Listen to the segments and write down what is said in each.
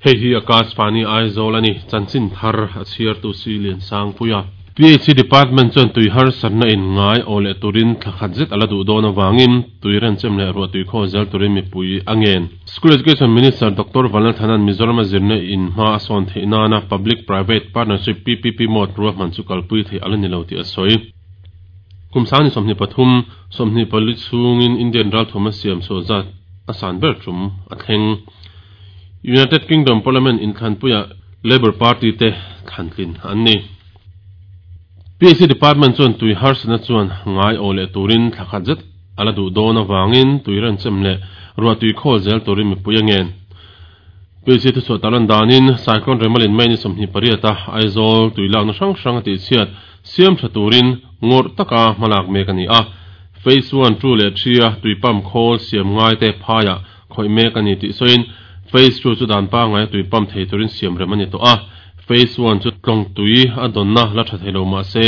Hei hi Akashvani Aizawl a ni, chanchin thar a chhiartu si Liansangpuia. PHE Department chuan tui harsatna in ngai aw leh turin thla khat zet a la duh dawn avangin tui renchem leh ruah tui khaw zel turin mipui a ngen. School Education Minister Doctor Vanlalthana'n Mizorama zirna in hma a sawn theih nana Public Private Partnership, PPP, mode ruahman chu kalpui theih a la ni lo tih a sawi. Kum sangni 23, 24 chhungin Indian ralthuam a siam chhuah zat a san ber tum a thleng. United Kingdom Parliament inthlanpuiah Labour Party te thlantlin an ni. PHE Department chuan tui harsatna chuan ngai aw leh turin thla khat zet a la duh dawn avangin tui renchem leh ruah tui khawl zel turin mipui a ngen. PHE thuchhuah tarlan danin Cyclone Remalin May ni 28 a Aizawl tui lakna hrang hrang a tihchhiat siam tha turin ngawrh taka hmalak mek a ni a. Phase one, two leh three a tui pump khawl siam ngaite phaiah Khawih mek a ni tih sawiin Phase two chu dan pangngai a tui pump thei turin siam rem a ni tawh a, Phase one chu tlawng tui a dawnna la tha thei lo mah se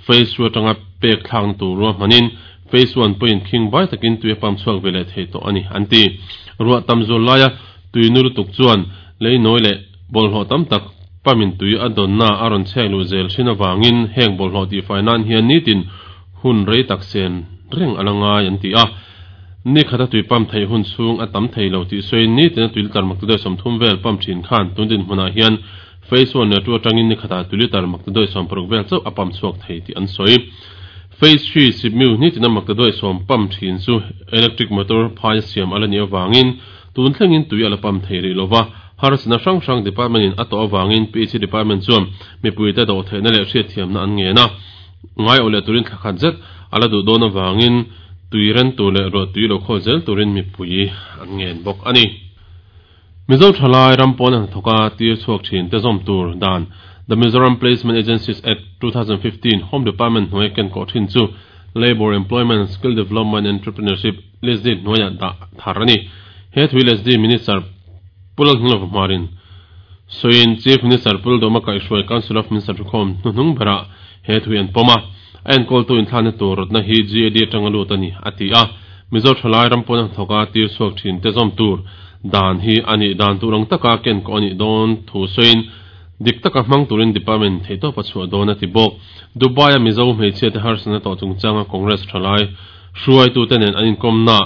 Phase two atanga pek thlakna tur ruahmanin Phase one pawhin khing bai takin tui a pump chhuak ve leh thei tawh a ni an ti. Ruah tam zual laia tui nu lutuk chuan lei nawi leh bawlhhlawh tam tak pump in tui a dawnna a rawn chhek luh zel thin avangin heng bawlhhlawh tihfai nan hian nitin hun rei tak sen reng a la ngai an ti a. Ni khata tui pump theih hun chhung a tam thei lo tih sawiin ni tina tui litre makta dawih 30 vel pump thin khan tun dinhmunah hian Phase one leh two atangin ni khatah tui litre makta dawih 60 vel chauh a pump chhuak thei tih an sawi. Phase three Sipmiu ni tina makta dawih 10 pump thin chu electric motor phai a siam a la nih avangin tun thlengin tui a la pump thei rih lova, harsatna hrang hrang department in a tawh avangin PHE department chuan mipuite dawhtheihna leh hriatthiamna an ngen a. Ngai awh leh turin thla khat zet a la duh dawn avangin tui ren tur leh ruah tui lo khawl zel turin mipui an ngen bawk a ni. Mizo thalai ram pawn a hnathawk a tir chhuak thin te zawm tur dan The Mizoram Placement Agencies Act, 2015 Home Department hnuaia ken kawh thin chu Labour, Employment, Skill Development and Entrepreneurship, LESDE, hnuaiah dah thar a ni. He thui LESDE Minister Pu Lalhnilova Hmarin sawiin Chief Minister Pu Lalduhma kaihhruai Council of Minister thukhawm hnuhnung berah He thui an pawm a, a enkawltu inthlakna tur rawtna hi GAD atanga lut a ni, a ti a. Mizo thalai ram pawn a hnathawk a tir chhuak thin te zawm tur dan hi a nih dan tur ang taka ken kawh a nih dawn thu sawiin dik taka hmang turin department theihtawp a chhuah dawn a ti bawk. Dubai-a Mizo hmeichhia te harsatna tawh chungchanga Congress thalai hruaitute nen an inkawmnaah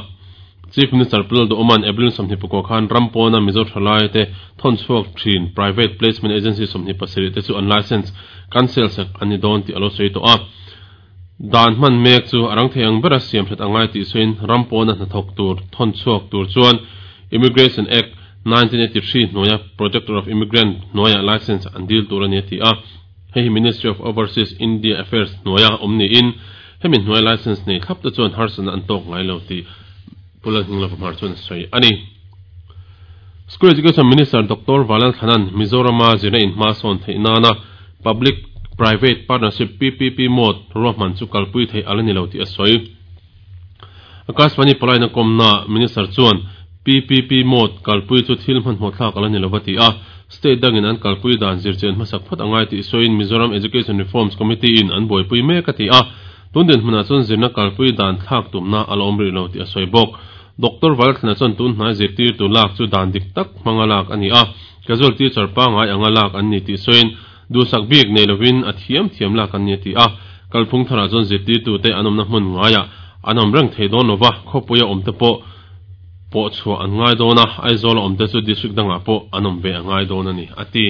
Chief Minister Pu Lalduhawma'n April 24 khan ram pawna Mizo thalaite thawn chhuak thin Private Placement Agency 27 te chu an licence cancel sak an ni dawn tih a lo sawi tawh a. Dan hman mek chu a rang thei ang bera siam that a ngai tih sawiin ram pawna hnathawk tur thawn chhuak tur chuan Immigration Act, 1983 hnuaia Protector of Immigrant hnuaia licence an dil tur a ni a ti a. Hei hi Ministry of Overseas India Affairs hnuaia awm niin Hemi hnuai licence nei thlap te chuan harsatna an tawk ngai lo tih Pu Lalhninglova Hmar chuan a sawi a ni. School Education Minister Doctor Vanlalthlana'n Mizorama zirna in hma sawn theih nana Public Private Partnership, PPP, mode ruahman chu kalpui theih a la ni lo tih a sawi. Akashvani palaina kawmnaah Minister chuan PPP mode kalpui chu thil hmanhmawh thlak a la ni lo va ti a, State dangin an kalpui dan zirchian hmasak phawt a ngai tih sawiin Mizoram Education Reforms Committee in an buaipui mek a ti a, tun dinhmunah chuan zirna kalpui dan thlak tumna a la awm rih lo tih a sawi bawk. Doctor Valthlana chuan tun hnai zirtirtu lak chu dan dik tak hmanga lak a ni a, casual teacher pangngai anga lak an ni tih sawiin duhsak bik nei lovin a thiam thiam lak an ni a ti a, kalphung tharah chuan zirtirtute an awmna hmun ngaiah an awm reng thei dawn lova, khawpuia awmte pawh pawh chhuah an ngai dawn a, Aizawl a awmte chu district dangah pawh an awm ve a ngai dawn a ni, a ti.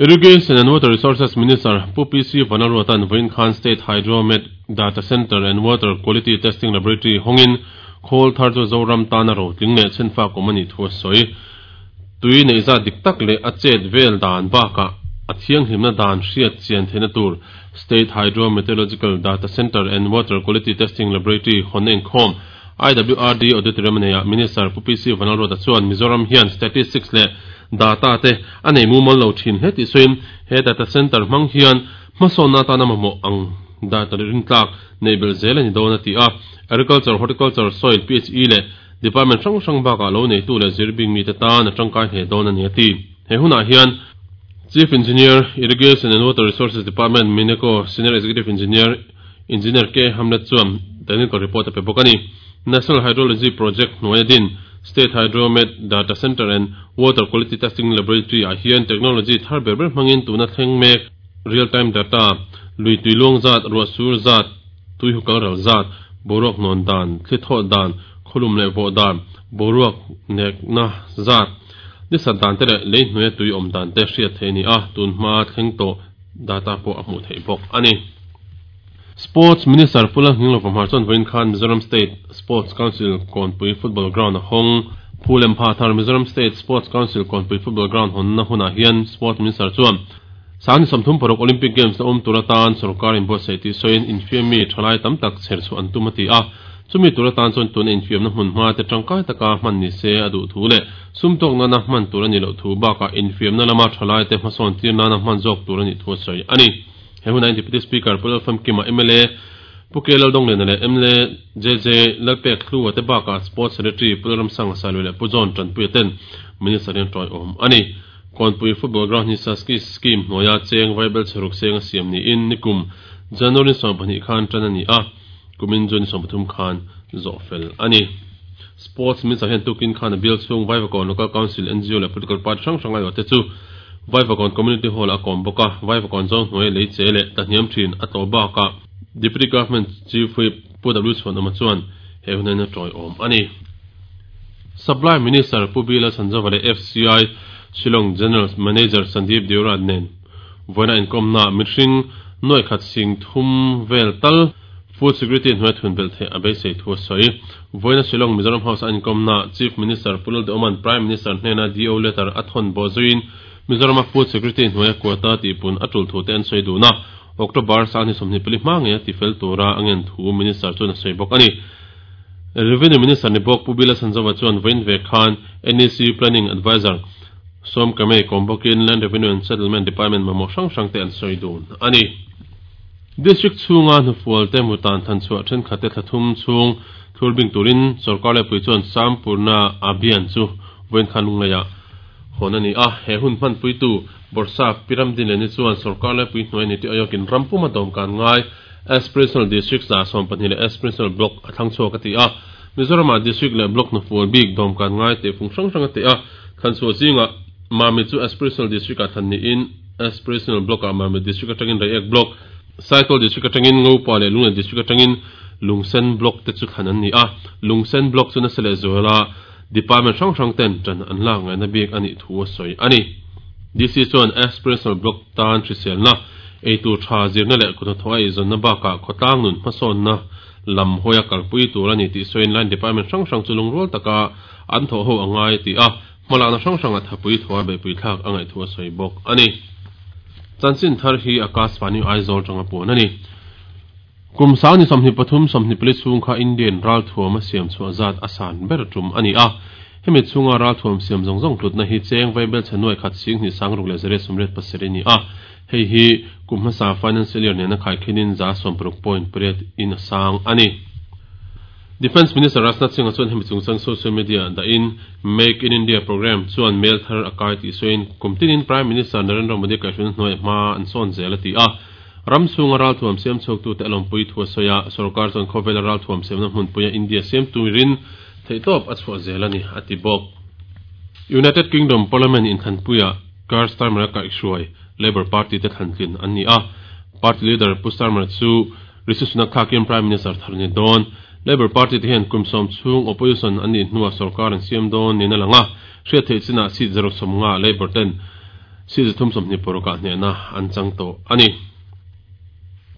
Irrigation and Water Resources Minister Pu PC Vanlalruata'n vawiin khan State Hydromet Data Centre and Water Quality Testing Laboratory hawngin khawl thar chu Zoram tana rotling leh chhenfak awm a nih thu a sawi. Tui neih zat dik tak leh a chet vel dan bakah a thianghlimna dan hriat chian theihna tur State Hydrometeorological Data Centre and Water Quality Testing Laboratory hawnna inkhawm IWRD Auditorium a neiah Minister Pu PC Vanlalruata chuan Mizoram hian statistics leh data te a nei mumal lo thin hle tih sawiin he data centre hmang hian hmasawnna atana mamawh ang data rintlak neih belh zel a ni dawn a ti a. Agriculture, Horticulture, Soil, PHE leh Department hrang hrang bakah lo neitu leh zirbing mite tan a tangkai hle dawn a ni a ti. He hunah hian Chief Engineer, Irrigation and Water Resources Department, Mineco Senior Executive Engineer, Engineer K. Hamlet chuan technical report a pe bawk a ni. National Hydrology Project hnuaia din State Hydromet Data Centre and Water Quality Testing Laboratory ah hian technology thar ber ber hmangin tuna thleng mek real time data, lui tui luang zat, ruah sur zat, tui hu kal ral zat, boruak hnawn dan, thli thawh dan, khawlum leh vawh dan, boruak nekna zat, nisat dan te leh lei hnuaia tui awm dan te hriat theih a ni a, tun hma thleng tawh data pawh a hmuh theih bawk a ni. Sports Minister Pu Lalnghinglova Hmar chuan vawiin khan Mizoram State Sports Council Kawnpui Football Ground a hawng. Phu lem pha thar Mizoram State Sports Council Kawnpui Football Ground hawnna hunah hian Sports Minister chuan Sangni 36 Olympic Games la awm tur atan sorkar inbuatsaih tih sawiin infiammi thalai tam tak chher chhuah an tum a ti a. Chumi tur atan chuan tuna infiamna hmun hma te tangkai taka hman ni se a duh thu leh sum tawk nana hman tur a nih loh thu bakah infiamna lama thalai te hmasawn tir nana hman zawk tur a nih thu a sawi a ni. He hunah hian Deputy Speaker Pu Lalfamkima, mla Pu K Laldongliana leh mla JJ Lalpek Hlua te bakah Sports Secretary Pu Lalramsanga Sailui leh Pu John Tanpuia ten Minister hian tawiawm a ni. Kawnpui Football Ground hi Saski Scheme hnuaia cheng vaibel chheruk seng a siam niin nikum January 12 khan tan a ni a, kumin June 13 khan zawh fel a ni. Sports Minister hian tukin khan a bial chhung Vaivakawn Local Council, NGO leh Political Party hrang hrang aiawhte chu Vaivakawn Community Hall-ah a kawm bawk a, Vaivakawn zawng hnuai lei che leh tlahniam thin a tlawh bakah Deputy Government Chief Whip Pu W Chhuanawma chuan he hun hian a tawiawm a ni. Supply Minister Pu B Lalchhanzova leh FCI Shillong General Manager Sandeep Deora nen vawiina inkawmnaah mihring nuaih khat sing thum vel tal Food Security hnuai thun belh theih a beisei thu a sawi. Vawiina Shillong Mizoram House a inkawmnaah Chief Minister Pu Lalduhoma'n Prime Minister hnena DO letter a thawn bawh zuiin Mizorama Food Security hnuaia quota tihpun a tul thute an sawi dun a, October sangni 24 hma ngei a tifel tura a ngen thu Minister chuan a sawi bawk a ni. Revenue Minister ni bawk Pu Bila Sanzova chuan vawiin ve khan NEC Planning Adviser Som Kamei kawm bawkin Land Revenue and Settlement Department mamawh hrang hrangte an sawi dun a ni. District chhunga hnufualte mutan thanchhuah thenkhatte thla thum chhung thlur bing turin sorkar lepui chuan Sampurna Abhiyan chu vawiin khan lungleiah hawn a ni a. He hun hmanpuitu Bawrhsap Pi Ramdinleni chuan sorkar lepui hnuai ni tih aiokin ram puma dawmkan ngai Aspirational District 120 leh Aspirational Block a thlang chhuak a ti a. Mizoramah District leh Block hnufual bik dawmkan ngai tehfung hrang hrang a teh a. Thlanchhuah zingah Mami chu Aspirational District-ah thlan niin, Aspirational Block-ah Mamit District atangin Reiek Block, Saitual District atangin Ngopa leh Lunglei District atangin Lungsen Block te chu thlan an ni a. Lungsen Block chu nasa leh zuala Department hrang hrang ten tan an lak ngaihna bik a nih thu a sawi a ni. DC chuan Aspirational Block tan hriselna, eitur tha zirna leh kuthnathawh a eizawnna bakah khawtlang nun hmasawnna lam hawia kalpui tur a ni tih sawiin line department hrang hrang chu lungrual taka an thawh ho a ngai a ti a. Hmalakna hrang hranga thapui thua beihpui thlak a ngaih thu a sawi bawk a ni. Chanchin thar hi Akashvani Aizawl tanga puan a ni. Kum sangni 23 24 chhung kha Indian ralthuam a siam chhuah zat a san ber tum a ni a. Hemi chhunga ralthuam siam zawng zawng hlutna hi cheng vaibel chhe nuai khat sing hnih sang ruk leh zariat sawmriat pasarih a ni a. Hei hi kum hmasa financial year nena khaikhinin za sawmparuk point pariat in a sang a ni. Defence Minister Rajnath Singh-a chuan hemi chungchang social media ah dahin Make in India programme chuan mail thar a kai tih sawiin kum tinin Prime Minister Narendra Modi kaihhruaina hnuaiah hma an sawn zel a ti a. Ram chhunga ralthuam siam chhuaktute a lawmpui thu a sawi a, sorkar chuan khawvela ralthuam siamna hmunpuia India siam turin theihtawp a chhuah zel a ni, a ti bawk. United Kingdom Parliament inthlanpuiah Keir Starmer-a kaihhruai Labour Party te thlantlin an ni a, party leader Pu Starmer chu Rishi Sunak thlakin Prime Minister thar a ni dawn. Labour Party te hian kum sawm chhung opposition an nih hnuah sorkar an siam dawn niin a lang a, hriat theih chinah seat zaruk sawmnga Labour ten seat 326 ah hnehna an chang tawh a ni.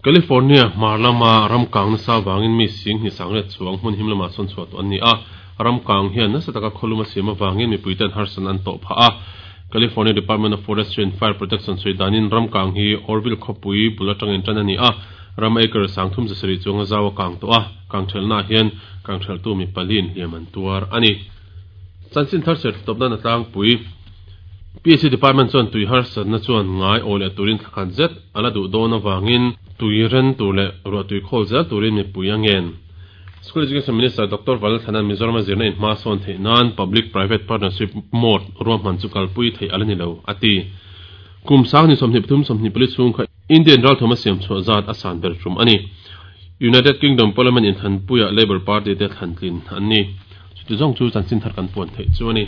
California hmar lama ram kang nasa avangin mi sing hnih sangriat chuang hmun him lamah sawn chhuah tawh an ni a, ram kang hian nasa taka khawlum a siam avangin mipuiten harsatna an tawh phah a. California Department of Forestry and Fire Protection sawi danin ram kang hi Oroville khawpui bul atangin tan a ni a, ram acre 3700 chuang a zau a kang tawh a, kang thelhnaah hian kang thelhtu mi paliin hliam an tuar a ni. Chanchin thar ser tawp nan a tlangpui. PHE Department chuan tui harsatna chuan ngai aw leh turin thla khat zet a la duh dawn avangin tui ren tur leh ruah tui khawl zel turin mipui a ngen. School Education Minister Doctor Valthana'n Mizoram a zirna in hma sawn theih nan Public Private Partnership mode ruahman chu kalpui theih a la ni lo, a ti. Kum 23 24 chhung kha Indian ralthawm a siam chhuah zat a san ber tum a ni. United Kingdom Parliament inthanpuiah Labour Party te thlantlin an ni. Chuti zawng chu chanchin thar kan puan theih chu a ni.